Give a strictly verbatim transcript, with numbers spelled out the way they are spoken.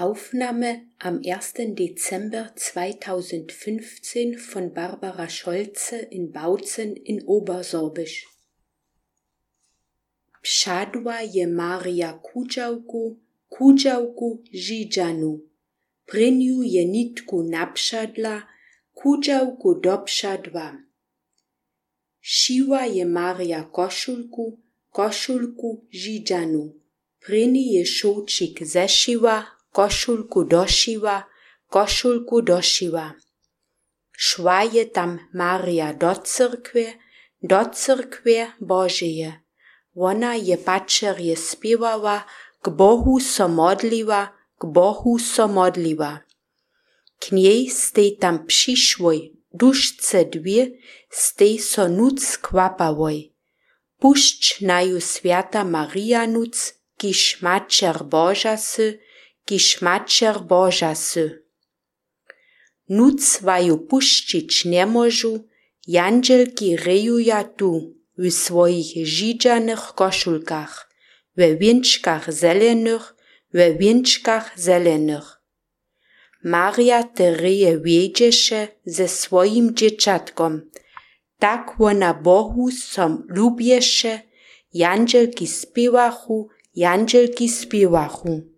Aufnahme am ersten Dezember zweitausendfünfzehn von Barbara Scholze in Bautzen in Obersorbisch. Pszadła je Maria kudzałku, kudzałku żidżanu. Pryniu je nitku napszadla, kudzałku dopszadła. Šiła je Maria koszulku, koszulku żidżanu. Pryni je šoučik zešiła, košulku došiła, košulku došiła. Šła je tam Maria do cyrkve, do cyrkve Božeje. Ona je pačerje spěwała, k Bohu so modliła, k Bohu so modliła. K njej stej tam přišłoj, dušce dwie, stej so nuc kvapawoj. Pušć naju Svjata Marija nuc, kiž mačer Boža sy, kiž mačer Boža sy. Nuc vaju puščić nemožu, janđelki rejuja tu, w svojich židžanych košulkach, we wěnčkach zelenych, we wěnčkach zelenych. Maria te reje wiedźeše ze svojim dzieciatkom, tak ona Bohu som lubješe, janđelki spěwachu, janđelki spěwachu.